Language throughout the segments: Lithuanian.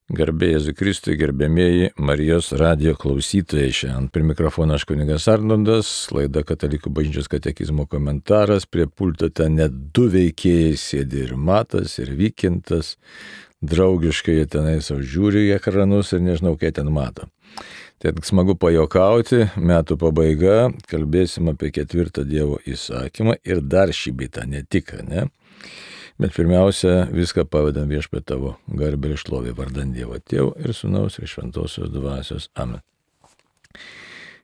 Garbė Jėzui Kristui, gerbėmieji Marijos radijo klausytojai. Šiandien prie mikrofono aš kunigas Arnoldas, laida Katalikų bažnyčios katekizmo komentaras. Prie pulto ten net du veikėjai sėdi, ir Matas, ir Vykintas. Draugiškai jie tenai savo žiūri į ekranus ir nežinau, ką ten mato. Tai smagu pajokauti, metų pabaiga, kalbėsim apie 4 Dievo įsakymą ir dar šį bitą, ne tik, ne? Bet pirmiausia, viską pavedam Viešpatie tavo garbę ir šlovę vardan Dievo Tėvo ir Sūnaus ir Šventosios Dvasios. Amen.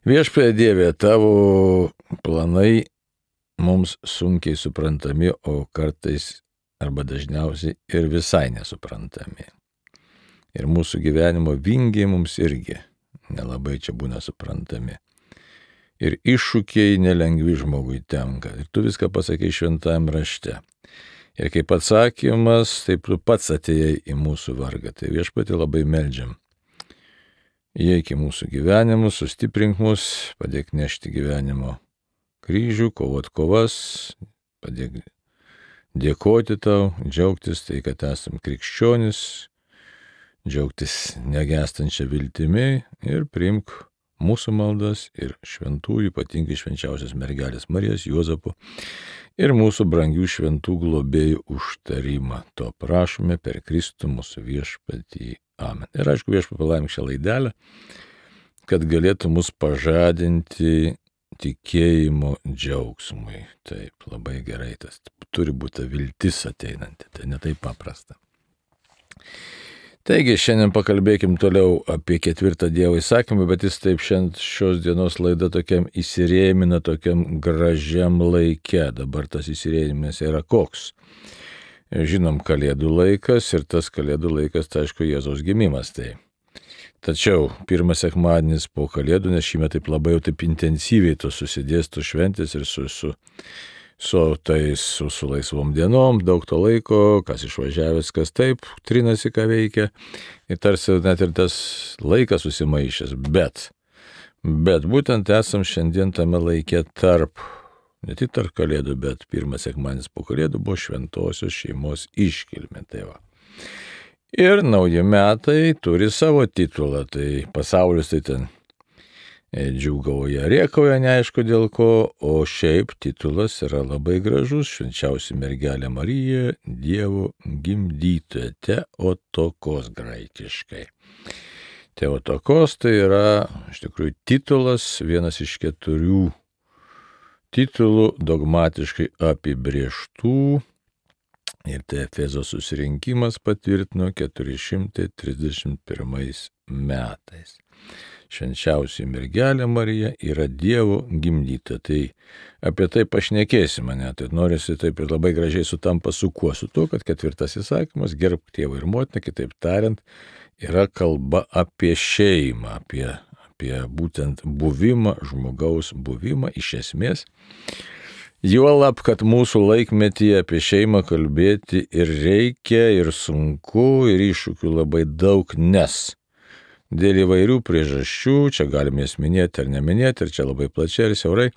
Viešpatie Dieve, tavo planai mums sunkiai suprantami, o kartais arba dažniausiai ir visai nesuprantami. Ir mūsų gyvenimo vingiai mums irgi nelabai čia būna suprantami. Ir iššūkiai nelengvi žmogui tenka. Ir tu viską pasakai šventajam rašte. Ir kaip atsakymas, taip tu pats atėjai į mūsų vargą. Tai Viešpatie labai meldžiam. Įeik į mūsų gyvenimus, sustiprink mus, padėk nešti gyvenimo kryžių, kovot kovas, padėk dėkoti tau, džiaugtis tai, kad esam krikščionis, džiaugtis negestančią viltimi ir priimk mūsų maldas ir šventųjų, ypatingai švenčiausios mergelės Marijos, Juozapo ir mūsų brangių šventų globėjų užtarimą. To prašome per Kristų mūsų Viešpatį. Amen. Ir aišku, Viešpatie palaimink šią laidelę, kad galėtų mus pažadinti tikėjimo džiaugsmui. Taip, labai gerai, tas turi būti viltis ateinanti, tai ne taip paprasta. Taigi, šiandien pakalbėkim toliau apie 4 Dievo įsakymą, bet jis taip šios dienos laida tokiam įsirėmina, tokiam gražiam laike. Dabar tas įsirėminas yra koks? Žinom, Kalėdų laikas ir tas Kalėdų laikas, tai aišku, Jėzaus gimimas. Tai. Tačiau pirmas sekmadienis po Kalėdų, nes šįmet taip labai jau taip intensyviai to susidės, to šventės ir su laisvom dienom, daug to laiko, kas išvažiavęs, kas taip, trinasi, ką veikia, ir tarsi net ir tas laikas susimaišęs, bet būtent esam šiandien tame laike ne tik tarp Kalėdų, bet pirmas sekmadienis po Kalėdų buvo šventosios šeimos iškilmė. Tai va. Ir nauji metai turi savo titulą, tai pasaulis tai ten džiūgauja, rėkauja, neaišku dėl ko, o šiaip titulas yra labai gražus, švenčiausia mergelė Marija, Dievo gimdytoja, Theotokos graikiškai. Theotokos tai yra, iš tikrųjų, titulas, vienas iš 4 titulų dogmatiškai apibrėžtų, ir tai Efezo susirinkimas patvirtino 431 metais. Švenčiausia mergelė Marija yra Dievo gimdyta. Tai apie tai pašnekėsime, tai norisi taip ir labai gražiai sutampa su kuo? Su to, kad 4 įsakymas, gerbk tėvą ir motiną, kitaip tariant, yra kalba apie šeimą, apie būtent buvimą, žmogaus buvimą iš esmės. Juolab, kad mūsų laikmetyje apie šeimą kalbėti ir reikia, ir sunku, ir iššūkių labai daug, nes dėl įvairių priežasčių, čia galime jas minėti ar neminėti, ir čia labai plačiai ir siaurai,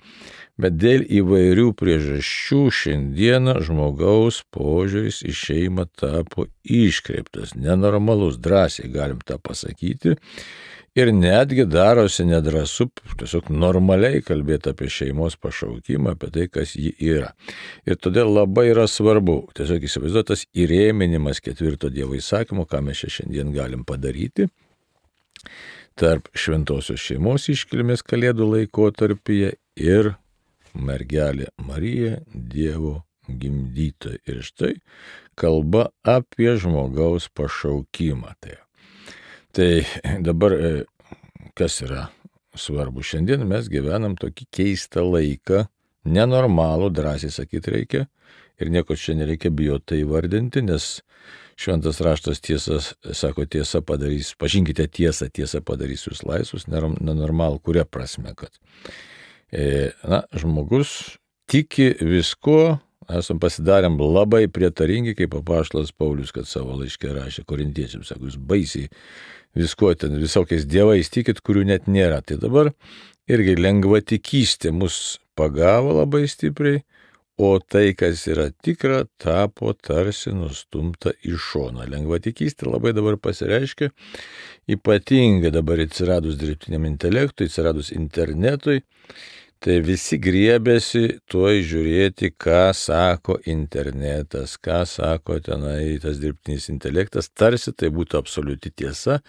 bet dėl įvairių priežasčių šiandieną žmogaus požiūris į šeimą tapo iškreiptas, nenormalus, drąsiai galim tą pasakyti, ir netgi darosi nedrąsu tiesiog normaliai kalbėti apie šeimos pašaukimą, apie tai, kas ji yra. Ir todėl labai yra svarbu, tiesiog įsivaizduotas įrėminimas 4 Dievo įsakymo, ką mes šiandien galim padaryti, tarp šventosios šeimos iškilmės Kalėdų laikotarpyje ir mergelė Marija, Dievo gimdytoja. Ir štai kalba apie žmogaus pašaukimą. Tai dabar, kas yra svarbu, šiandien mes gyvenam tokį keistą laiką, nenormalų, drąsiai sakyti reikia, ir nieko čia nereikia bijoti įvardinti, nes Šventas raštas sako, tiesa padarys, pažinkite tiesą, tiesa padarys jūs laisvus, nenormalų, kuria prasme, kad žmogus tiki visko, esam pasidarėm labai prietaringi, kaip apaštalas Paulius, kad savo laiške rašė korintiečiams, sako, jūs baisiai visko ten visokiais dievais tikit, kurių net nėra. Tai dabar irgi lengvatikystė mus pagavo labai stipriai, o tai, kas yra tikra, tapo tarsi nustumta į šoną. Lengvatikystė labai dabar pasireiškia, ypatingai dabar atsiradus dirbtiniam intelektui, atsiradus internetui, tai visi griebėsi tuoj žiūrėti, ką sako internetas, ką sako tenai tas dirbtinis intelektas, tarsi tai būtų absoliuti tiesa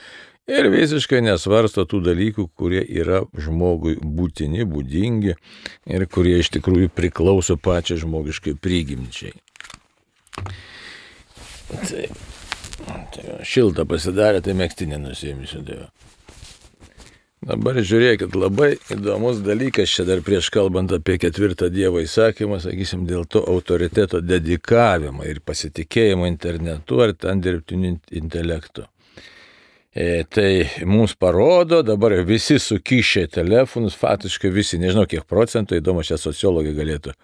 ir visiškai nesvarsto tų dalykų, kurie yra žmogui būtini, būdingi ir kurie iš tikrųjų priklauso pačiai žmogiškai prigimčiai. Tai šilta pasidarė, tai megztinį nusiimsiu. Dabar žiūrėkit, labai įdomus dalykas čia dar prieš kalbant apie 4 Dievo įsakymą, sakysim, dėl to autoriteto dedikavimo ir pasitikėjimo internetu ar ten dirbtiniu intelektu. Tai mums parodo, dabar visi sukišę telefonus, faktiškai visi, nežinau kiek procentų, įdomu, čia sociologai galėtų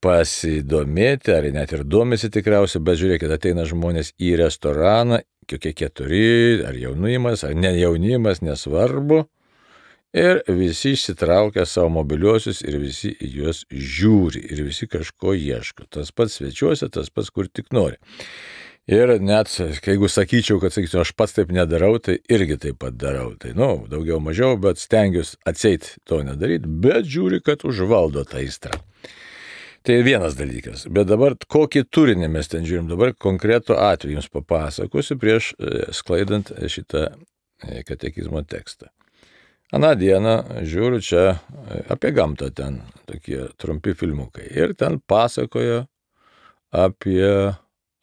pasidomėti, ar net ir domisi tikriausiai, bet žiūrėkit, ateina žmonės į restoraną, kokie 4, ar jaunimas, ar ne jaunimas, nesvarbu, ir visi išsitraukia savo mobiliuosius ir visi į juos žiūri ir visi kažko ieško. Tas pats svečiuose, tas pats kur tik nori. Ir net, jeigu sakyčiau, kad aš pats taip nedarau, tai irgi taip pat darau. Tai, daugiau mažiau, bet stengiuosi atseit to nedaryti, bet žiūri, kad užvaldo tą aistrą. Tai vienas dalykas. Bet dabar kokį turinį mes ten žiūrim, dabar konkretų atvejį jums papasakosiu prieš sklaidant šitą katekizmo tekstą. Aną dieną žiūriu čia apie gamtą ten, tokie trumpi filmukai. Ir ten pasakoja apie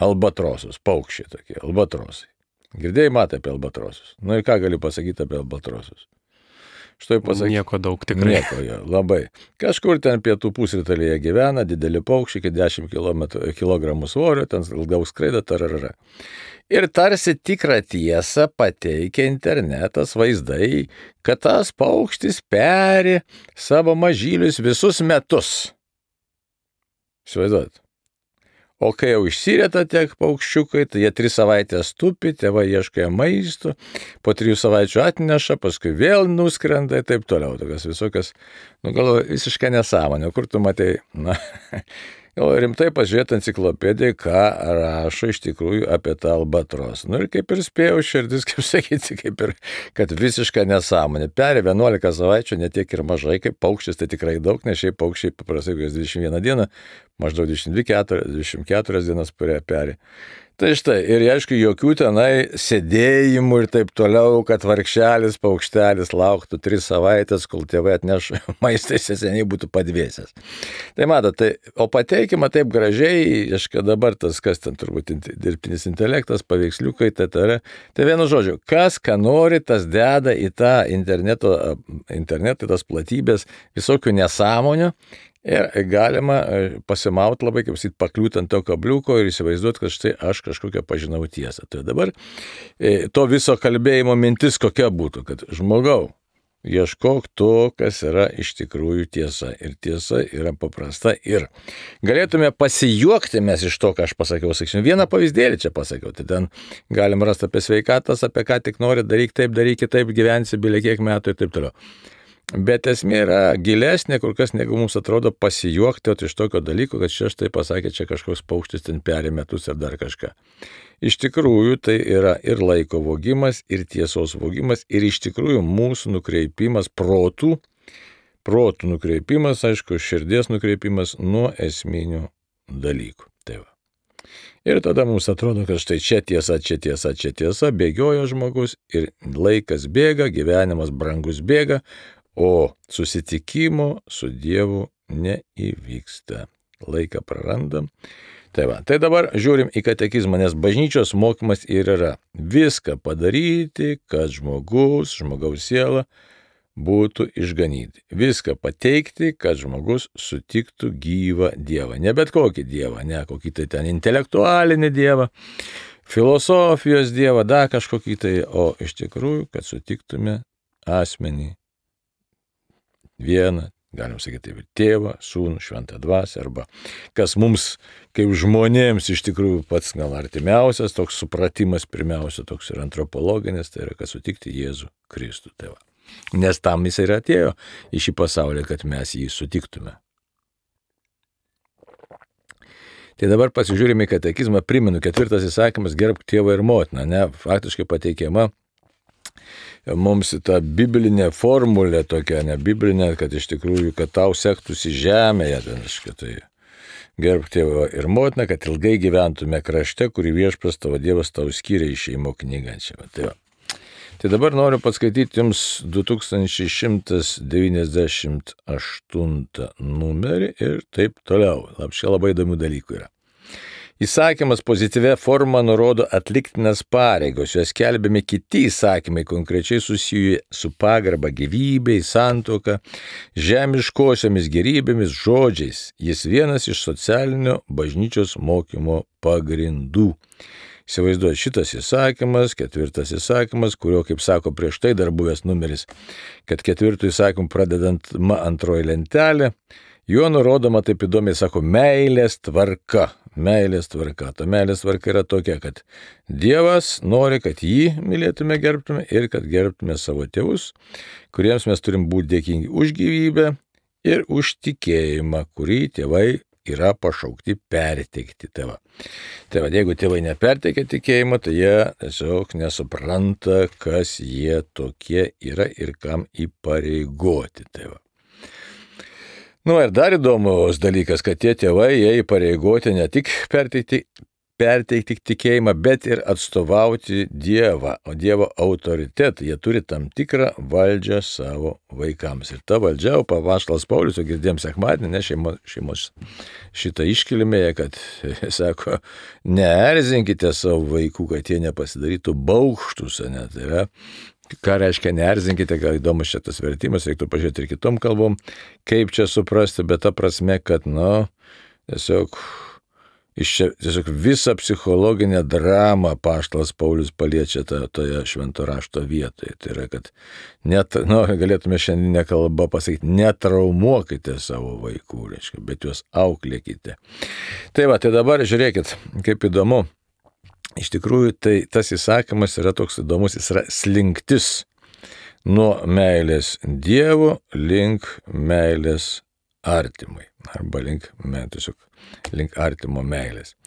albatrosus, paukščiai tokie, albatrosai. Girdėjai, matai apie albatrosus. Ir ką galiu pasakyti apie albatrosus? Nieko daug tikrai. Nieko jo, labai. Kažkur ten pietų pusrytalyje gyvena, dideli paukščiai, iki 10 kg svorio, ten ilgiau skraido, tararara. Ir tarsi tikrą tiesą pateikia internetas vaizdai, kad tas paukštis peri savo mažylius visus metus. Įsivaizduojat? O kai jau išsireta tiek paukščiukai, tai jie 3 savaitės tupi, tėvai ieškoja maisto, po 3 savaičių atneša, paskui vėl nuskrenda ir taip toliau. Tokias visokias, galvoju, visiškai nesąmonė. Kur tu matai, rimtai pažiūrėti enciklopediją, ką rašo iš tikrųjų apie tą albatrosą. Ir kaip ir spėjau širdis, kaip sakyti, kaip ir, kad visiškai nesąmonė. Peri 11 savaičių, netiek ir mažai, kaip paukštis, tai tikrai daug, nes šiaip paukščiai paprastai 21 dieną, maždaug 24 dienas peri. Tai štai, ir aišku, jokių tenai sėdėjimų ir taip toliau, kad vargšelis paukštelis lauktų 3 savaitės, kol tėvai atneš maistą, jis seniai būtų padvėsęs. Tai matot, o pateikima taip gražiai, aišku, dabar tas, kas ten turbūt dirbtinis intelektas, paveiksliukai, tai vienu žodžiu, kas, ką nori, tas deda į tą internetą, tas platybės, visokių nesąmonių. Ir galima pasimauti labai, kaip sakyt, pakliūti ant to kabliuko ir įsivaizduoti, kad štai aš kažkokią pažinau tiesą. Tai dabar to viso kalbėjimo mintis kokia būtų, kad žmogau, ieškok to, kas yra iš tikrųjų tiesa. Ir tiesa yra paprasta. Ir galėtume pasijuokti mes iš to, ką aš pasakiau. Sakysim, vieną pavyzdėlį čia pasakiau. Tai ten galim rasti apie sveikatas, apie ką tik nori, daryk taip, gyvensi bilė kiek metų ir taip toliau. Bet esmė yra gilesnė, kur kas negu mums atrodo pasijuokti iš tokio dalyko, kad čia štai pasakė, čia kažkoks paukštis ten peri metus ar dar kažką. Iš tikrųjų tai yra ir laiko vogimas, ir tiesos vogimas, ir iš tikrųjų mūsų nukreipimas protų nukreipimas, aišku, širdies nukreipimas nuo esminių dalykų. Tai va. Ir tada mums atrodo, kad štai čia tiesa, bėgiojo žmogus ir laikas bėga, gyvenimas brangus bėga, o susitikimo su Dievu neįvyksta. Laiką prarandam. Tai dabar žiūrim į katekizmą, nes bažnyčios mokymas ir yra viską padaryti, kad žmogaus siela būtų išganyti. Viską pateikti, kad žmogus sutiktų gyvą Dievą. Ne bet kokį Dievą, ne kokį tai ten intelektualinį Dievą, filosofijos Dievą, dar kažkokį tai, o iš tikrųjų, kad sutiktume asmenį vieną, galim sakyti taip, tėvą, sūnų, šventą dvasią, arba kas mums, kaip žmonėms, iš tikrųjų pats gal artimiausias, toks supratimas pirmiausia, toks ir antropologinis, tai yra, kad sutikti Jėzų Kristų. Tai va. Nes tam jis ir atėjo į šį pasaulį, kad mes jį sutiktume. Tai dabar pasižiūrime į katekizmą, primenu, 4 įsakymas gerbk tėvą ir motiną, ne, faktiškai pateikiama mums ta biblinė formulė tokia, ne biblinė, kad iš tikrųjų, kad tau sektųsi žemėje, tai gerbk tėvą ir motiną, kad ilgai gyventume krašte, kurį Viešpats tavo Dievas tau skyrė Išėjimo knygą. Tai dabar noriu paskaityti jums 2198 numerį ir taip toliau. Čia labai įdomių dalykų yra. Įsakymas pozityvia forma nurodo atliktinas pareigos, juos skelbiami kiti įsakymai, konkrečiai susiję su pagarba gyvybei, santuoka, žemiškosiomis gerybėmis, žodžiais. Jis vienas iš socialinio bažnyčios mokymo pagrindų. Įsivaizduoju, šitas įsakymas, 4 įsakymas, kurio, kaip sako prieš tai dar buvęs numeris, kad 4 įsakymų pradedant antroji lentelė, juo nurodoma taip įdomiai, sako, meilės tvarka. Meilės tvarka. Ta meilės tvarka yra tokia, kad Dievas nori, kad jį mylėtume, gerbtume ir kad gerbtume savo tėvus, kuriems mes turim būti dėkingi už gyvybę ir už tikėjimą, kurį tėvai yra pašaukti perteikti tėvą. Tai jeigu tėvai neperteikia tikėjimo, tai jie tiesiog nesupranta, kas jie tokie yra ir kam įpareigoti tėvą. Ir dar įdomus dalykas, kad tie tėvai, jie įpareigoti ne tik perteikti tikėjimą, bet ir atstovauti Dievą, o Dievo autoritetą. Jie turi tam tikrą valdžią savo vaikams. Ir ta valdžia, apaštalas Paulius, o girdėjom sekmadienį, ne šeimos šitą iškilmėje, kad, sako, neerzinkite savo vaikų, kad jie nepasidarytų baukštus, ne, tai yra. Ką reiškia neerzinkite, gal įdomus šitas vertimas, reiktų pažiūrėti ir kitom kalbom, kaip čia suprasti, bet ta prasme, kad, tiesiog visą psichologinę dramą apaštalas Paulius paliečia toje švento rašto vietoje. Tai yra, kad galėtume šiandieninę kalbą pasakyti, netraumuokite savo vaikų, reiškia, bet juos auklėkite. Tai dabar žiūrėkit, kaip įdomu. Iš tikrųjų, tai tas įsakymas yra toks įdomus, jis yra slinktis nuo meilės Dievo link meilės artimui, arba link artimo meilės.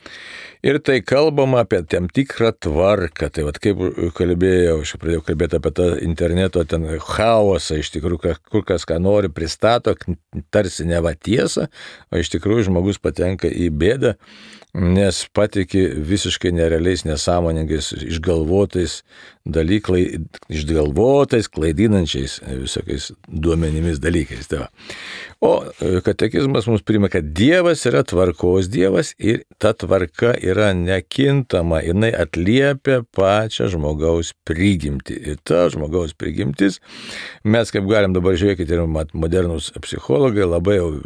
Ir tai kalbama apie tam tikrą tvarką, tai kaip kalbėjau, aš pradėjau kalbėti apie tą interneto ten chaosą, iš tikrųjų, kur kas ką nori pristato, tarsi neva tiesą, o iš tikrųjų žmogus patenka į bėdą, nes patiki visiškai nerealiais, nesąmoningais, išgalvotais klaidinančiais visokiais duomenimis dalykais. O katekizmas mums primena, kad Dievas yra tvarkos Dievas ir ta tvarka yra nekintama, jinai atliepia pačią žmogaus prigimtį. Ir ta žmogaus prigimtis, mes kaip galim dabar žiūrėkite, ir modernūs psichologai labai jau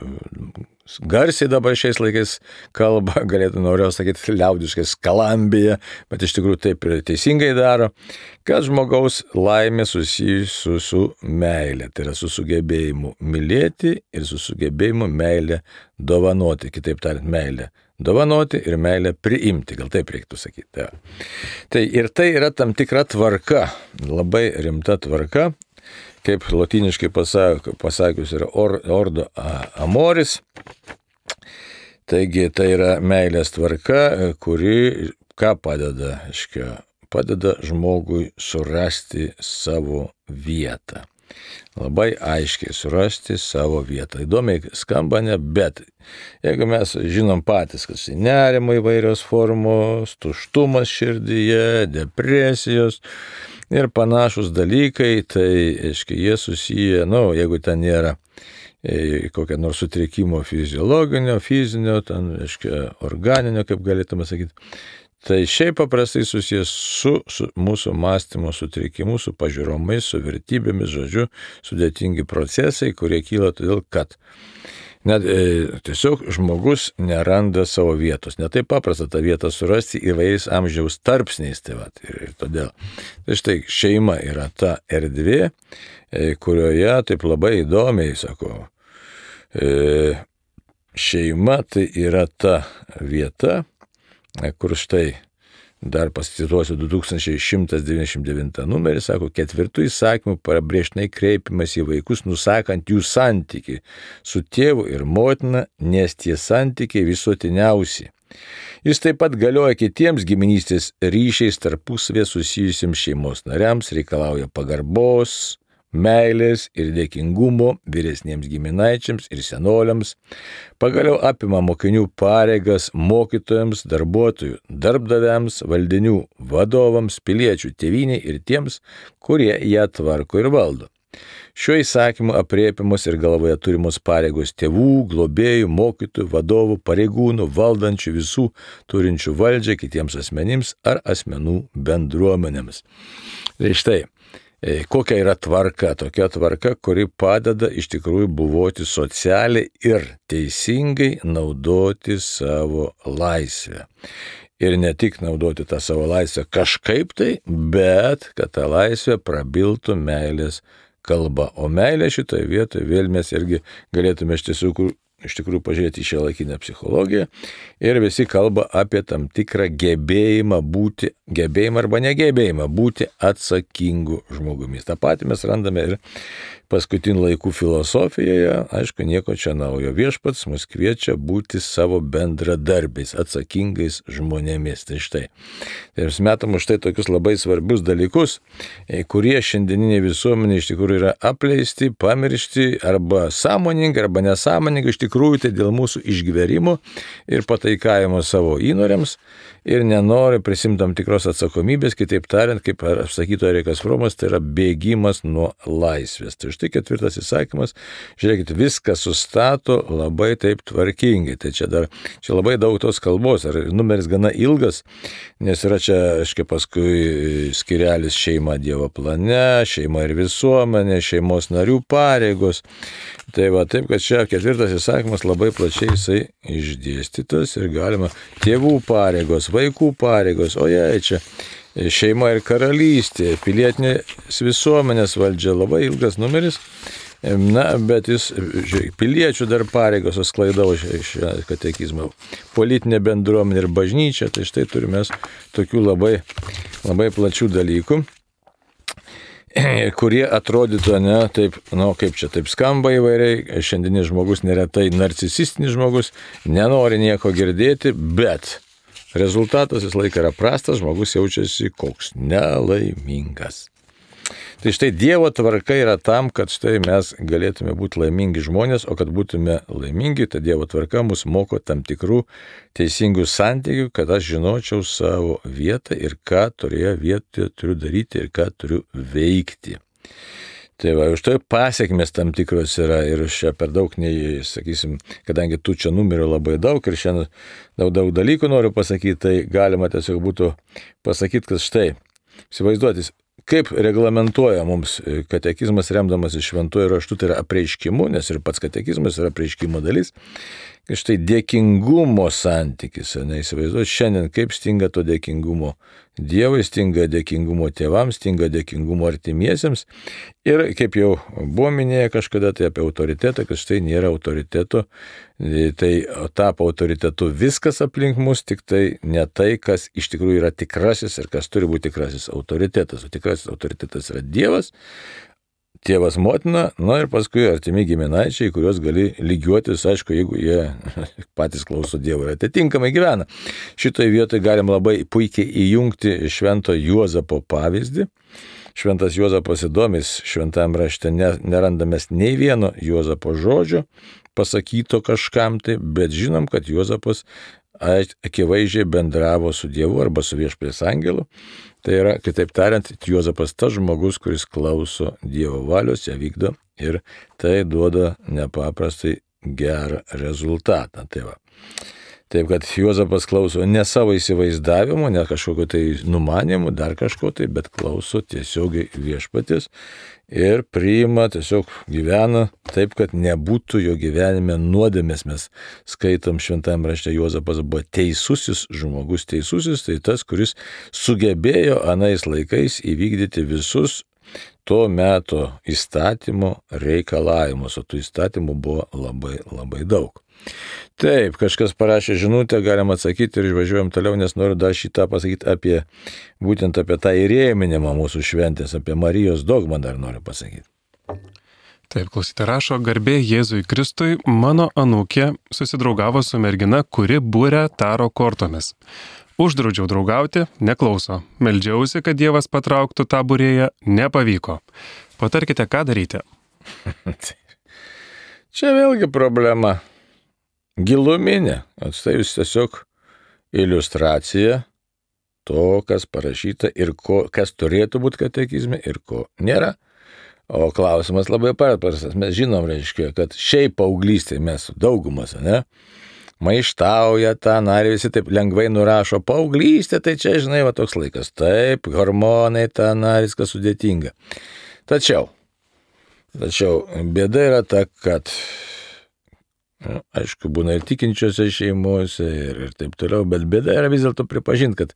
garsiai dabar šiais laikais kalba, galėtų noriu sakyti liaudiškai skalambija, bet iš tikrųjų taip ir teisingai daro, kad žmogaus laimė susijusi su meilė, tai yra su sugebėjimu mylėti ir su sugebėjimu meilę dovanoti, kitaip tariant meilę dovanoti ir meilę priimti, gal taip reiktų sakyti. Tai ir tai yra tam tikra tvarka, labai rimta tvarka, kaip lotyniškai pasakius yra ordo amoris. Taigi tai yra meilės tvarka, kuri ką padeda? Padeda žmogui surasti savo vietą. Labai aiškiai surasti savo vietą. Įdomiai skamba, ne, bet jeigu mes žinom patys, kad nerimo įvairios formos, tuštumas širdyje, depresijos ir panašus dalykai, tai, jie susiję, jeigu ten nėra kokią nors sutrikimo fiziologinio, fizinio, ten, organinio, kaip galėtume sakyti, tai šiaip paprastai susijęs su mūsų mąstymo sutrikimu, su pažiūromis, su vertybėmis, žodžiu, sudėtingi procesai, kurie kyla todėl, kad tiesiog žmogus neranda savo vietos. Ne taip paprasta tą vietą surasti įvairiais amžiaus tarpsniais. Ir todėl. Tai štai šeima yra ta erdvė, kurioje taip labai įdomiai, sako, šeima tai yra ta vieta, kur štai dar pasituosiu 2199 numerį, sako, 4 įsakymų pabrėžtinai kreipimas į vaikus, nusakant jų santykį su tėvu ir motina, nes tie santykiai visuotiniausi. Jis taip pat galioja kitiems giminystės ryšiais tarpusavėje susijusiems šeimos nariams, reikalauja pagarbos, meilės ir dėkingumo vyresniems giminaičiams ir senoliams, pagaliau apima mokinių pareigas mokytojams, darbuotojų, darbdaviams, valdinių vadovams, piliečių tėvynei ir tiems, kurie ją tvarko ir valdo. Šiuo įsakymu aprėpiamos ir galvoje turimos pareigos tėvų, globėjų, mokytojų, vadovų, pareigūnų, valdančių visų turinčių valdžią kitiems asmenims ar asmenų bendruomenėms. Tai štai, kokia yra tvarka? Tokia tvarka, kuri padeda iš tikrųjų buvoti socialiai ir teisingai naudoti savo laisvę. Ir ne tik naudoti tą savo laisvę kažkaip tai, bet kad ta laisvė prabiltų meilės kalba. O meilė šitoje vietoje vėl mes irgi galėtume iš tikrųjų pažiūrėti į šiuolaikinę psichologiją ir visi kalba apie tam tikrą gebėjimą arba negebėjimą būti atsakingu žmogumi. Ta pati mes randame ir paskutinių laikų filosofijoje, aišku, nieko čia naujo. Viešpats mus kviečia būti savo bendradarbiais, atsakingais žmonėmis. Tai štai. Ir mes metam už tai tokius labai svarbius dalykus, kurie šiandieniniai visuomenė iš tikrųjų yra apleisti, pamiršti arba sąmoningai, arba nesąmoningai, iš tikrųjų tai dėl mūsų išgverimo ir pataikavimo savo įnoriams ir nenori prisimti tam tikros atsakomybės, kitaip tariant, kaip sakytų Erikas Fromas, tai yra bėgimas nuo laisvės. Tai štai 4 įsakymas, žiūrėkit, viską sustato labai taip tvarkingai. Tai čia labai daug tos kalbos, ar numeris gana ilgas, nes yra čia, aiškiai, paskui skirelis šeima Dievo plane, šeima ir visuomenė, šeimos narių pareigos. Tai va, taip, kad čia 4 įsakymas labai plačiai jisai išdėstytas ir galima tėvų pareigos, vaikų pareigos, o jei čia šeima ir karalystė, pilietinės visuomenės valdžia, labai ilgas numeris, bet jis, piliečių dar pareigos sklaidavo šią katekizmą, politinė bendruomenė ir bažnyčia, tai štai turime tokių labai, labai plačių dalykų, kurie atrodytų, kaip čia taip skamba įvairiai, šiandienis žmogus neretai narcisistinis žmogus, nenori nieko girdėti, bet rezultatas vis laik yra prastas, žmogus jaučiasi koks nelaimingas. Tai štai Dievo tvarka yra tam, kad štai mes galėtume būti laimingi žmonės, o kad būtume laimingi, tai Dievo tvarka mus moko tam tikrų teisingų santykių, kad aš žinočiau savo vietą ir ką toje vietoje turiu daryti ir ką turiu veikti. Tai va, už tai pasiekmes tam tikros yra ir čia per daug, sakysim, kadangi tų čia numerių labai daug ir šiandien daug dalykų noriu pasakyti, tai galima tiesiog būtų pasakyti, kad štai, įsivaizduotis, kaip reglamentuoja mums katekizmas remdamas iš šventuoju raštu, tai yra apreiškimu, nes ir pats katekizmas yra apreiškimo dalis. Štai dėkingumo santykis, neįsivaizduoju, šiandien kaip stinga to dėkingumo Dievui, stinga dėkingumo tėvams, stinga dėkingumo artimiesiems ir kaip jau buvo minėję kažkada tai apie autoritetą, kad štai nėra autoriteto, tai tapo autoritetu viskas aplink mus, tik tai ne tai, kas iš tikrųjų yra tikrasis ir kas turi būti tikrasis autoritetas, o tikrasis autoritetas yra Dievas, tėvas, motina, ir paskui artimi giminaičiai, kuriuos gali lygiuotis, aišku, jeigu jie patys klauso Dievo ir atitinkamai gyvena. Šitoje vietoje galim labai puikiai įjungti švento Juozapo pavyzdį. Šventas Juozapas įdomis, šventame rašte nerandamės nei vieno Juozapo žodžio pasakyto kažkam tai, bet žinom, kad Juozapas akivaizdžiai bendravo su Dievu arba su viešpaties angelu. Tai yra, kitaip tariant, Juozapas tas žmogus, kuris klauso Dievo valios, ją vykdo ir tai duoda nepaprastai gerą rezultatą. Tai va. Taip, kad Juozapas klauso ne savo įsivaizdavimo, ne kažkokio tai numanimų, dar kažko tai, bet klauso tiesiogiai viešpaties ir priima, tiesiog gyvena taip, kad nebūtų jo gyvenime nuodėmės. Mes skaitom šventame rašte, Juozapas buvo teisusis žmogus, teisusis, tai tas, kuris sugebėjo anais laikais įvykdyti visus to meto įstatymo reikalavimus, o tų įstatymų buvo labai, labai daug. Taip, kažkas parašė žinutę, galim atsakyti ir išvažiuojam toliau, nes noriu dar šitą pasakyti būtent apie tą įrėminimą mūsų šventės, apie Marijos dogmą dar noriu pasakyti. Taip, klausyte, rašo, garbė Jėzui Kristui, mano anūkė susidraugavo su mergina, kuri būrė taro kortomis. Uždraudžiau draugauti, neklauso. Meldžiausi, kad Dievas patrauktų tą būrėją, nepavyko. Patarkite, ką daryti. Čia vėlgi problema. Giluminė. Štai jūs tiesiog iliustracija to, kas parašyta ir kas turėtų būti katekizme ir ko nėra. O klausimas labai paprastas. Mes žinom, reiškia, kad šiaip paauglystėje mes daugumas, ne? Maištauja tą narį, visi taip lengvai nurašo paauglystė, tai čia, žinai, va toks laikas. Taip, hormonai tą narį, viskas sudėtinga. Tačiau bėda yra ta, kad, aišku, būna ir tikinčiose šeimose ir taip toliau, bet bėda yra vis dėlto pripažinti, kad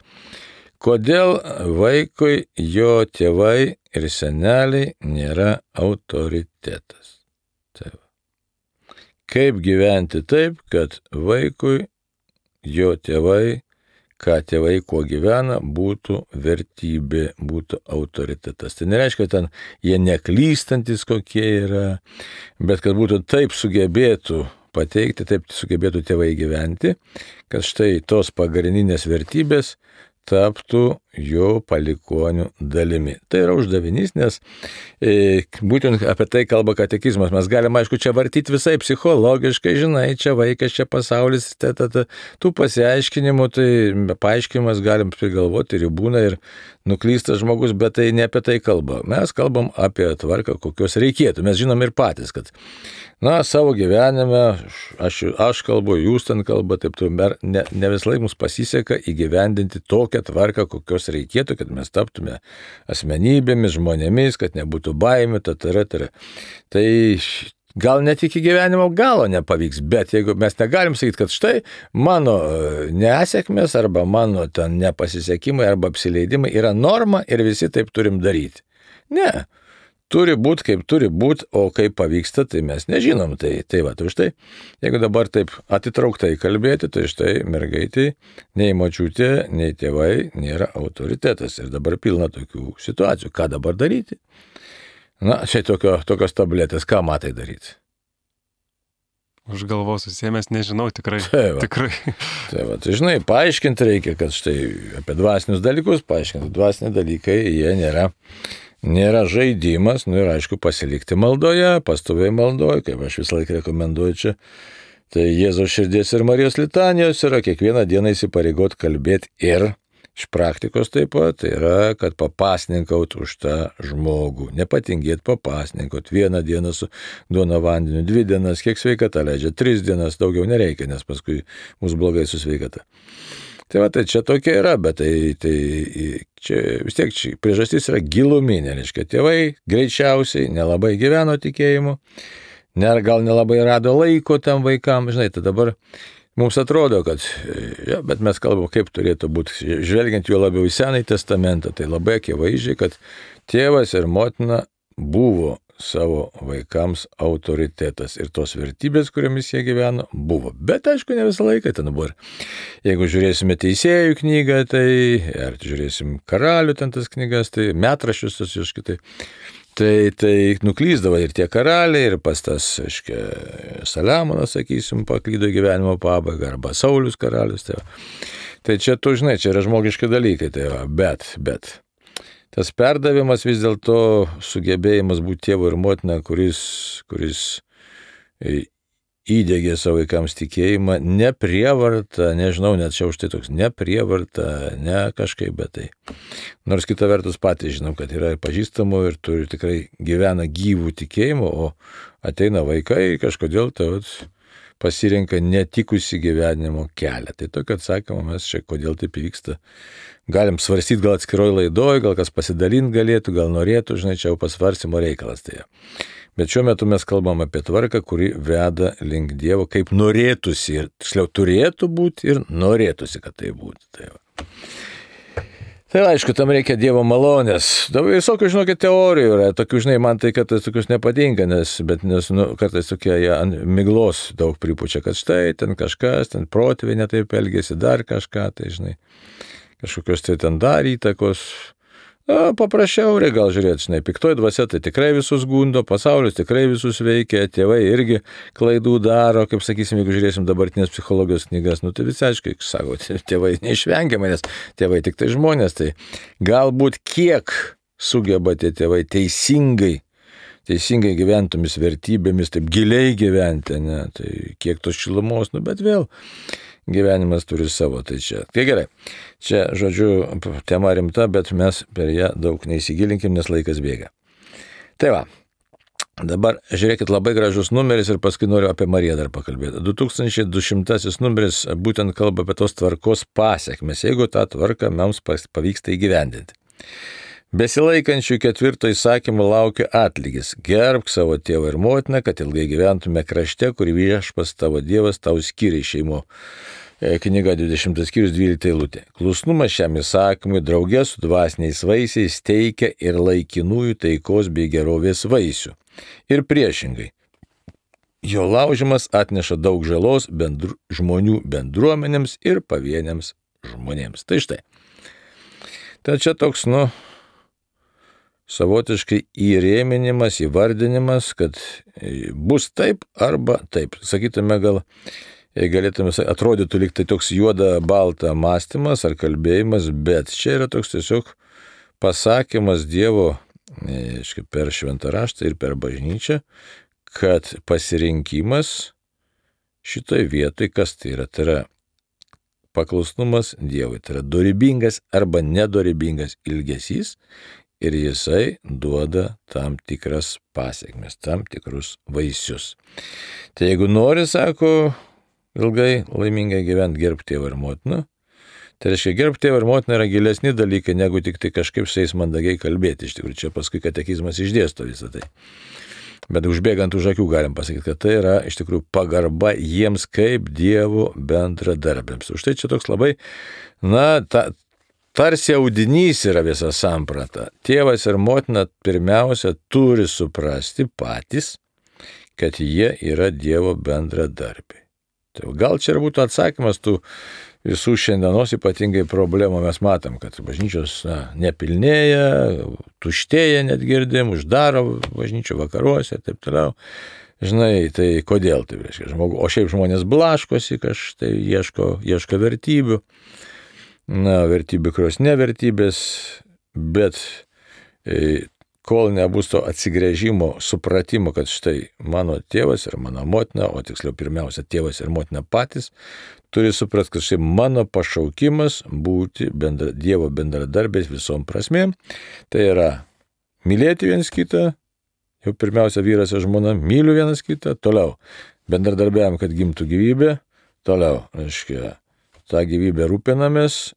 kodėl vaikui jo tėvai ir seneliai nėra autoritetas. Tai va. Kaip gyventi taip, kad vaikui jo tėvai, ką tėvai kuo gyvena, būtų vertybė, būtų autoritetas. Tai nereiškia, kad ten jie neklystantis kokie yra, bet kad būtų taip sugebėtų pateikti, taip sugebėtų tėvai gyventi, kad štai tos pagrindinės vertybės taptų jo palikonių dalimi. Tai yra uždavinys, nes būtent apie tai kalba katekizmas. Mes galime, aišku, čia vartyti visai psichologiškai, žinai, čia vaikas, čia pasaulis, tų pasiaiškinimų, tai paaiškinimas galim prigalvoti ir būna ir nuklystas žmogus, bet tai ne apie tai kalba. Mes kalbam apie tvarką, kokios reikėtų. Mes žinom ir patys, kad savo gyvenime, aš kalbu, jūs ten kalba, taip ne vis laik mums pasiseka įgyvendinti tokią tvarką, kokios reikėtų, kad mes taptume asmenybėmis, žmonėmis, kad nebūtų baimių, Tai gal net iki gyvenimo galo nepavyks, bet jeigu mes negalim sakyti, kad štai mano nesėkmės arba mano ten nepasisekimai arba apsileidimai yra norma ir visi taip turim daryti. Ne. Turi būti, kaip turi būti, o kaip pavyksta, tai mes nežinom. Tai štai, jeigu dabar taip atitrauktai kalbėti, tai štai mergaitai, nei močiutė, nei tėvai nėra autoritetas. Ir dabar pilna tokių situacijų. Ką dabar daryti? Čia tokios tabletės, ką matai daryti? Už galvos susėmęs, nežinau, tikrai. Tai žinai, paaiškinti reikia, kad štai apie dvasinius dalykus, dvasiniai dalykai, jie nėra žaidimas, ir aišku pasilikti maldoje, pastoviai maldoje, kaip aš visą laiką rekomenduoju čia. Tai Jėzaus širdies ir Marijos litanijos yra kiekvieną dieną įsipareigot kalbėti ir iš praktikos taip pat, tai yra, kad papasninkaut už tą žmogų, nepatingėt papasninkaut, 1 dieną su duona vandeniu, 2 dienas, kiek sveikata leidžia, 3 dienas, daugiau nereikia, nes paskui bus blogai su sveikata. Tai čia tokia yra, bet tai čia vis tiek priežastis yra giluminė, reiškia, tėvai greičiausiai nelabai gyveno tikėjimu, gal nelabai rado laiko tam vaikam, žinai, tai dabar mums atrodo, kad, bet mes kalbam, kaip turėtų būti, žvelgiant juo labiau į Senąjį testamentą, tai labai akivaizdžiai, kad tėvas ir motina buvo savo vaikams autoritetas ir tos vertybės, kuriomis jie gyveno, buvo. Bet aišku, ne visą laiką ten buvo. Jeigu žiūrėsime Teisėjų knygą, tai ar žiūrėsim Karalių ten tas knygas, tai metraščius tas iškitai, tai nuklysdavo ir tie karaliai, ir pas tas, aiškiai, Saliamonas, sakysim, paklydo gyvenimo pabaigą, arba Saulius karalius. Tai čia, tu žinai, čia yra žmogiški dalykai, bet tas perdavimas vis dėlto sugebėjimas būti tėvu ir motina, kuris įdegė savo vaikams tikėjimą, ne prievarta, nežinau, net čia už tai toks, ne prievarta, ne kažkaip, bet tai. Nors kita vertus patys žinom, kad yra pažįstamų ir turi tikrai gyvena gyvų tikėjimų, o ateina vaikai kažkodėl pasirenka netikusi gyvenimo kelią. Tai tokio atsakymo mes čia, kodėl taip vyksta. Galim svarstyti gal atskiroj laidoj, gal kas pasidalinti galėtų, gal norėtų, žinai, čia jau pasvarstymo reikalas. Tai. Bet šiuo metu mes kalbam apie tvarką, kuri veda link Dievo, kaip norėtųsi, ir tiksliau turėtų būti ir norėtųsi, kad tai būtų. Tai aišku, tam reikia Dievo malonės. Dabar visokių, žinokit, teorijų yra. Tokių, žinai, man tai kartais tokius nepatinka, nes kartais tokie ant miglos daug pripučia, kad štai ten kažkas, ten protėviai netaip elgėsi, dar kažką, tai žinai, kažkokios tai ten dar įtakos. Paprasčiau, gal žiūrėti, žinai, piktoji dvasia tai tikrai visus gundo, pasaulis tikrai visus veikia, tėvai irgi klaidų daro, kaip sakysim, jeigu žiūrėsim dabartinės psichologijos knygas, tai visi aiškiai sako, tėvai neišvengiamai, nes tėvai tik tai žmonės, tai galbūt kiek sugeba tie tėvai teisingai gyventomis vertybėmis, taip giliai gyventi, ne, tai kiek tos šilumos, bet vėl gyvenimas turi savo, tai čia. Tai gerai, čia, žodžiu, tema rimta, bet mes per ją daug neįsigilinkim, nes laikas bėga. Tai va, dabar žiūrėkit, labai gražus numeris ir paskui noriu apie Mariją dar pakalbėti. 2200 numeris būtent kalba apie tos tvarkos pasiekmes, jeigu tą tvarką mums pavyksta įgyvendinti. Besilaikančių 4 įsakymų laukia atlygis. Gerbk savo tėvą ir motiną, kad ilgai gyventume krašte, kurį Viešpats tavo Dievas tau skyrė šeimų. Knyga 20 skyrius 12 eilutė. Klusnumas šiam įsakymui draugė su dvasiniais vaisiais teikia ir laikinųjų taikos bei gerovės vaisių. Ir priešingai. Jo laužimas atneša daug žalos žmonių bendruomenėms ir pavieniams žmonėms. Tai štai. Tai čia toks, savotiškai įrėminimas, įvardinimas, kad bus taip arba taip. Sakytume, galėtume, atrodytų lyg tai toks juoda balta mąstymas ar kalbėjimas, bet čia yra toks tiesiog pasakymas Dievo per šventą raštą ir per bažnyčią, kad pasirinkimas šitoj vietoj, kas tai yra paklusnumas Dievui, tai yra dorybingas arba nedorybingas ilgesys, ir jisai duoda tam tikras pasiekmes, tam tikrus vaisius. Tai jeigu nori, sako, ilgai laimingai gyventi, gerb tėvą ir motiną, tai reiškia, gerb tėvą ir motiną yra gilesni dalykai, negu tik tai kažkaip su jais mandagiai kalbėti. Iš tikrųjų, čia paskui katekizmas išdėsto visą tai. Bet užbėgant už akių galim pasakyti, kad tai yra iš tikrųjų pagarba jiems kaip Dievo bendradarbiams. Už tai čia toks labai, tarsi audinys yra visa samprata. Tėvas ir motina pirmiausia turi suprasti patys, kad jie yra Dievo bendradarbiai. Tai gal čia ir būtų atsakymas tų visų šiandienos ypatingai problemų. Mes matom, kad bažnyčios nepilnėja, tuštėja, net girdim, uždaro bažnyčių vakaruose ir taip toliau. Žinai, tai kodėl tai reiškia? O šiaip žmonės blaškosi, kažtai ieško vertybių. Vertybių, kurios nevertybės, bet kol nebus to atsigręžimo, supratimo, kad štai mano tėvas ir mano motina, o tiksliau pirmiausia tėvas ir motina patys, turi suprasti, kad štai mano pašaukimas būti Dievo bendradarbiais visom prasmėm, tai yra mylėti vienas kitą, jau pirmiausia vyras ir žmona, myliu vienas kitą, toliau bendradarbiavim, kad gimtų gyvybė, toliau, reiškia, tą gyvybę rūpinamės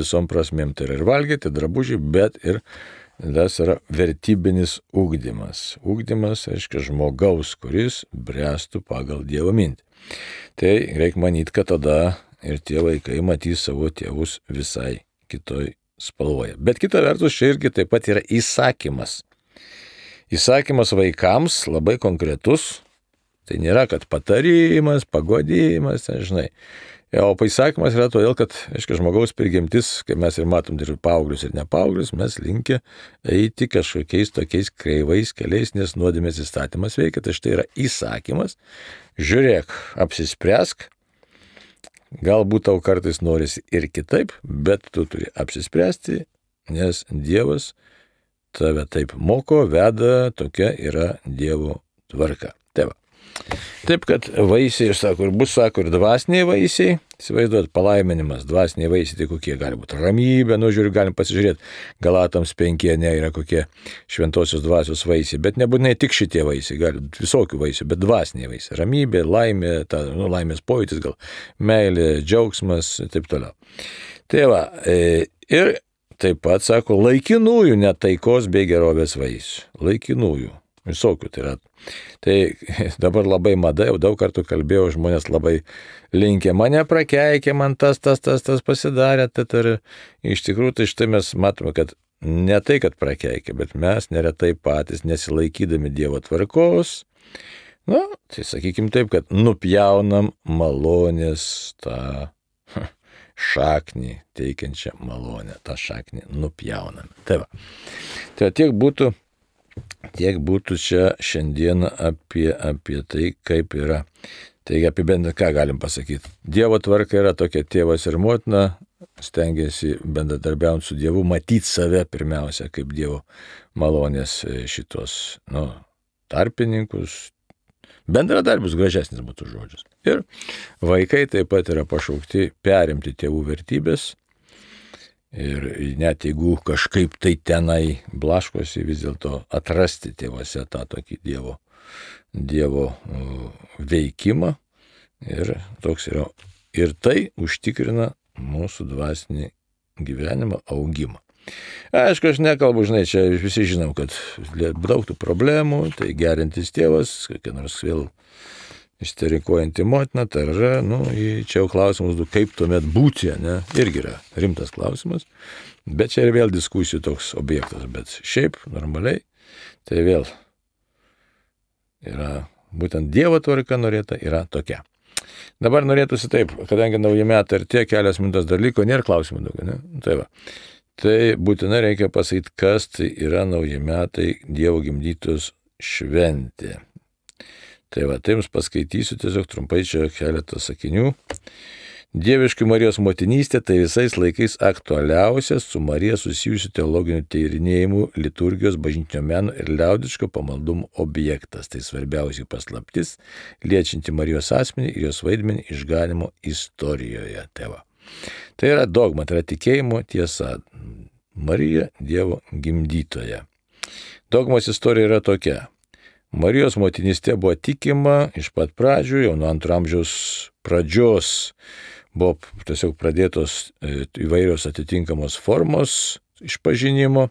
visom prasmėm, tai yra ir valgyti, drabužiai, bet ir tas yra vertybinis ugdymas. Ugdymas, reiškia, žmogaus, kuris bręstų pagal Dievo mintį. Tai reikia manyti, kad tada ir tie vaikai matys savo tėvus visai kitoj spalvoje. Bet kita vertus, čia irgi taip pat yra įsakymas. Įsakymas vaikams labai konkretus. Tai nėra, kad patarimas, pagodimas, žinai. O įsakymas yra todėl, kad, aiškiai, žmogaus prigimtis, kaip mes ir matom, ir paauglius, ir nepaauglius, mes linkę eiti kažkokiais tokiais kreivais keliais, nes nuodėmės įstatymas veikia. Tai štai yra įsakymas. Žiūrėk, apsispręsk. Galbūt tau kartais norisi ir kitaip, bet tu turi apsispręsti, nes Dievas tave taip moko, veda, tokia yra Dievo tvarka. Tai va. Taip, kad vaisiai, ir bus, ir dvasiniai vaisiai, įsivaizduot, palaiminimas, dvasiniai vaisiai, tai kokie gali būti ramybė, galim pasižiūrėti, Galatams 5 yra kokie šventosios dvasios vaisiai, bet nebūtinai tik šitie vaisiai, gali visokių vaisių, bet dvasiniai vaisiai, ramybė, laimė, laimės pojūtis, gal meilė, džiaugsmas ir taip toliau. Tai va, ir taip pat, sako, laikinųjų netaikos bei gerovės vaisių, laikinųjų. Visokių tai yra. Tai dabar labai mada, jau daug kartų kalbėjau, žmonės labai linkė, mane prakeikė, man tas pasidarė. Ir iš tikrųjų, tai štai mes matome, kad ne tai, kad prakeikė, bet mes neretai patys nesilaikydami Dievo tvarkos, tai sakykim taip, kad nupjaunam malonės tą šaknį teikiančią malonę. Ta šaknį nupjauname. Tai va. Tai tiek būtų čia šiandieną apie tai, kaip yra. Taigi apibendrinant, ką galim pasakyti. Dievo tvarka yra tokia: tėvas ir motina stengiasi bendradarbiaujant su Dievu matyti save pirmiausia kaip Dievo malonės šitos tarpininkus, bendradarbius, gražesnis būtų žodžius. Ir vaikai taip pat yra pašaukti perimti tėvų vertybės ir net jeigu kažkaip tai tenai blaškosi, vis dėlto atrasti tėvuose tą tokį Dievo veikimą, ir toks yra. Ir tai užtikrina mūsų dvasinį gyvenimą, augimą. Aišku, aš nekalbu, čia visi žinom, kad daug tų problemų, tai gerintis tėvas, kokia nors vėl isterikuojanti motina, tai yra, čia jau klausimas, kaip tuomet būti, ne? Irgi yra rimtas klausimas, bet čia ir vėl diskusijų toks objektas, bet šiaip normaliai, tai vėl yra būtent Dievo tvarka norėta yra tokia. Dabar norėtųsi taip, kadangi nauji metai artėja, kelias minutės dar liko, nėra klausimų daugiau, ne? Tai va. Tai būtinai reikia pasakyti, kas tai yra nauji metai, Dievo gimdytos šventė. Tai va, tai jums paskaitysiu tiesiog trumpai čia keletą sakinių. Dieviška Marijos motinystė tai visais laikais aktualiausias su Marija susijusių teologinių tyrinėjimų, liturgijos, bažnytinio meno ir liaudiško pamaldumo objektas. Tai svarbiausiai paslaptis, liečianti Marijos asmenį ir jos vaidmenį išganimo istorijoje. Tai yra dogma, tai yra tikėjimo tiesa. Marija Dievo gimdytoja. Dogmos istorija yra tokia. Marijos motinystė buvo tikima iš pat pradžių, jau nuo 2 amžiaus pradžios buvo tiesiog pradėtos įvairios atitinkamos formos išpažinimo.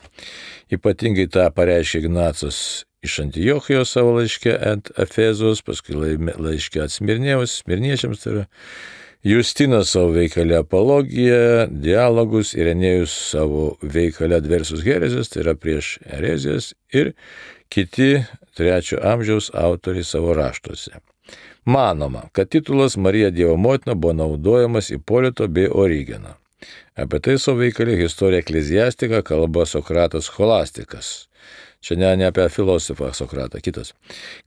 Ypatingai tą pareiškė Ignacas iš Antiochijos savo laiške ant Efezos, paskui laiške Smirniečiams, tai yra Justinas savo veikale Apologiją, Dialogus, Irenėjus savo veikale Adversus Herezijas, tai yra prieš herezijas, ir kiti 3 amžiaus autoriai savo raštuose. Manoma, kad titulas Marija Dievo motina buvo naudojamas Ipolito bei Origeno. Apie tai savo veikale Historia Ecclesiastica kalba Sokratas Scholastikas. Čia ne apie filosofą Sokratą, kitas,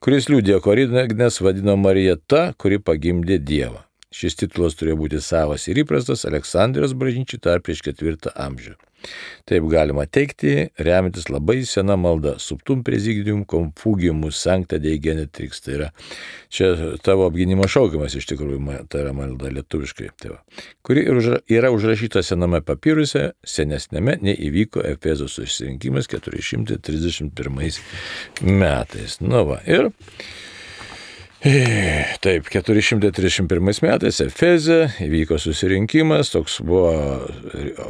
kuris liudijo, kad Origenas vadino Mariją ta, kuri pagimdė Dievą. Šis titulas turėjo būti savas ir įprastas Aleksandrijos bažnyčiai dar prieš 4 amžių. Taip galima teikti, remiantis labai sena malda Subtum Praesidium Confugimus Sancta Dei Genetrix. Tai yra čia tavo apgynimo šaukimas iš tikrųjų, tai yra malda lietuviškai, kuri yra užrašyta sename papiruse, senesnėme nei įvyko Efezo susirinkimas 431 metais. Ir taip, 431 metais Efeze įvyko susirinkimas, toks buvo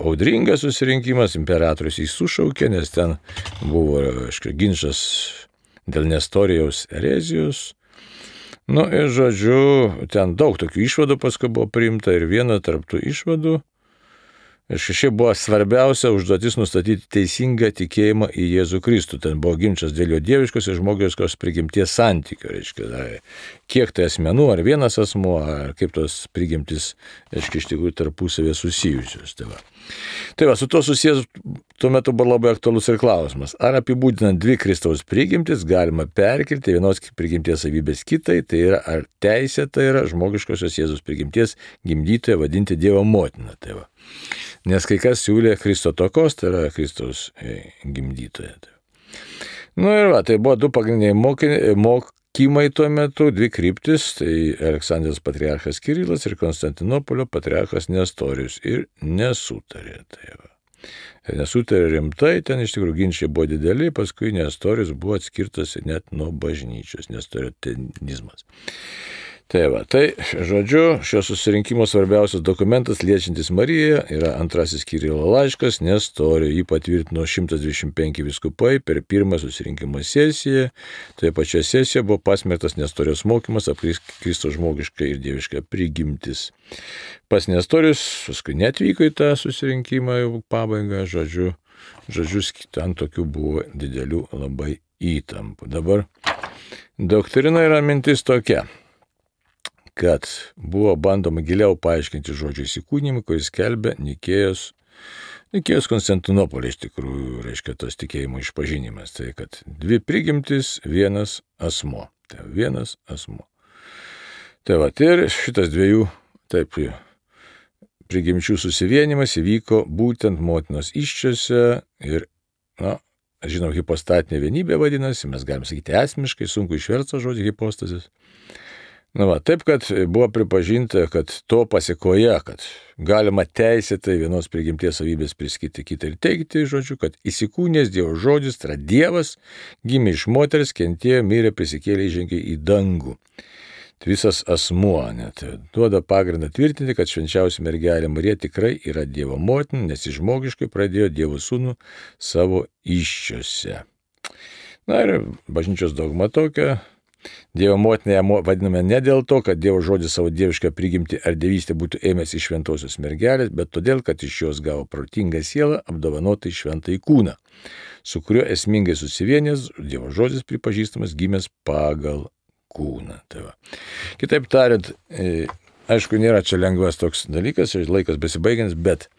audringas susirinkimas, imperatorius jį sušaukė, nes ten buvo ginčas dėl Nestorijaus erezijos. Ir žodžiu, ten daug tokių išvadų paskui buvo priimta ir viena tarp tų išvadų. Ir šiaip buvo svarbiausia užduotis nustatyti teisingą tikėjimą į Jėzų Kristų. Ten buvo ginčas dėl jo dieviškos ir žmogiškos prigimties santykio. Kiek tai asmenų, ar vienas asmuo, ar kaip tos prigimtis, iš tikrųjų tarpusavė susijusios. Tai va, su to susijęs tuo metu buvo labai aktualus ir klausimas. Ar apibūdinant 2 Kristaus prigimtis galima perkelti vienos prigimties savybės kitai, tai yra ar teisė tai yra žmogiškosios Jėzus prigimties gimdytoją vadinti Dievo motiną. Nes kai kas siūlė Kristotokos, tai yra Kristaus gimdytoja. Ir va, tai buvo 2 pagrindiniai mokymai tuo metu, 2 kryptis, tai Aleksandrijos patriarchas Kirilas ir Konstantinopolio patriarchas Nestorijus, ir nesutarė. Nesutarė rimtai, ten iš tikrųjų ginčiai buvo dideli, paskui Nestorijus buvo atskirtas net nuo bažnyčios, nestoriotenizmas. Tai, žodžiu, šio susirinkimo svarbiausias dokumentas liečiantis Mariją yra 2 Kirilo laiškas Nestorijui. Jį patvirtino 125 vyskupai per 1 susirinkimo sesiją. Toje pačioje sesijoje buvo pasmerktas Nestorijos mokymas apie Kristaus žmogišką ir dievišką prigimtis. Pas Nestorijus paskui netvyko į tą susirinkimą jau pabaigą, žodžiu, ten tokių buvo didelių labai įtampų. Dabar doktrina yra mintis tokia, kad buvo bandoma giliau paaiškinti žodžio įsikūnymą, kuris skelbia Nikėjos Konstantinopolio iš tikrųjų, reiškia tas tikėjimo išpažinimas. Tai kad dvi prigimtis, vienas asmuo. Tai vienas asmuo. Tai va, ir šitas dviejų, taip, prigimčių susivienimas įvyko būtent motinos įsčiose ir, žinom, hipostatinė vienybė vadinasi, mes galim sakyti esmiškai, sunku išversti žodį hipostasis. Taip, kad buvo pripažinta, kad to pasiekoje, kad galima teisėtai vienos prigimties savybės priskirti kitą ir teigti, žodžiu, kad įsikūnęs Dievo žodis, tai yra Dievas, gimė iš moters, kentėjo, mirė, prisikėlė, įžengė į dangų. Tai visas asmuo net duoda pagrindą tvirtinti, kad švenčiausia mergelė Marija tikrai yra Dievo motina, nes jis žmogiškai pradėjo Dievo sūnų savo įsčiose. Ir bažnyčios dogma tokia. Dievo motinę vadiname ne dėl to, kad Dievo žodis savo dievišką prigimtį ar dievystę būtų ėmęs iš šventosios mergelės, bet todėl, kad iš jos gavo protingą sielą apdovanotą į šventąjį kūną, su kuriuo esmingai susivienęs Dievo žodis pripažįstamas gimęs pagal kūną. Tai va. Kitaip tariant, aišku, nėra čia lengvas toks dalykas, laikas besibaigiantis, bet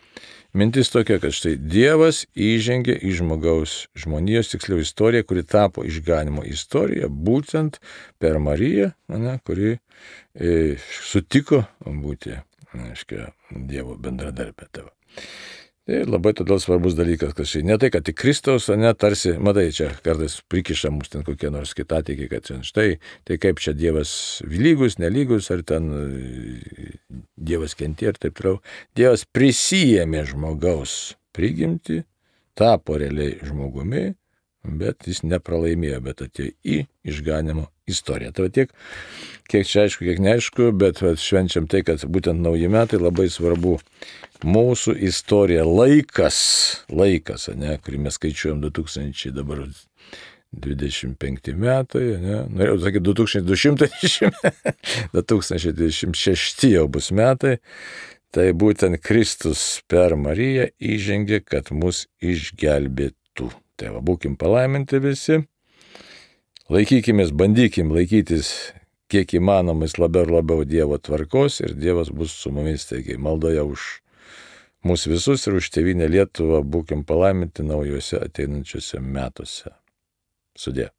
mintis tokia, kad štai Dievas įžengė į žmonijos, tiksliau istoriją, kuri tapo išganimo istorija, būtent per Mariją, kuri sutiko būti, Dievo bendradarbė. Tai labai todėl svarbus dalykas, kad štai ne tai, kad tik Kristaus, tarsi, matai, čia kartais prikiša mums ten kokie nors kitatikiai, kad štai, tai kaip čia Dievas lygus, nelygus, ar ten Dievas kentė ir taip toliau. Dievas prisijėmė žmogaus prigimtį, tapo realiai žmogumi, bet jis nepralaimėjo, bet atėjo į išganimo istoriją. Tai tiek, kiek čia aišku, kiek neaišku, bet švenčiam tai, kad būtent nauji metai labai svarbu mūsų istorija, laikas, kurį mes skaičiuojam 2025 metai, norėjau sakyti 2026 jau bus metai, tai būtent Kristus per Mariją įžengė, kad mus išgelbėtų. Tai va, būkim palaiminti visi, laikykimės, bandykim laikytis kiek įmanomais labiau ir labiau Dievo tvarkos ir Dievas bus su mumis, taigi maldoje už mus visus ir už tėvynę Lietuvą būkim palaiminti naujuose ateinančiuose metuose. Sudie.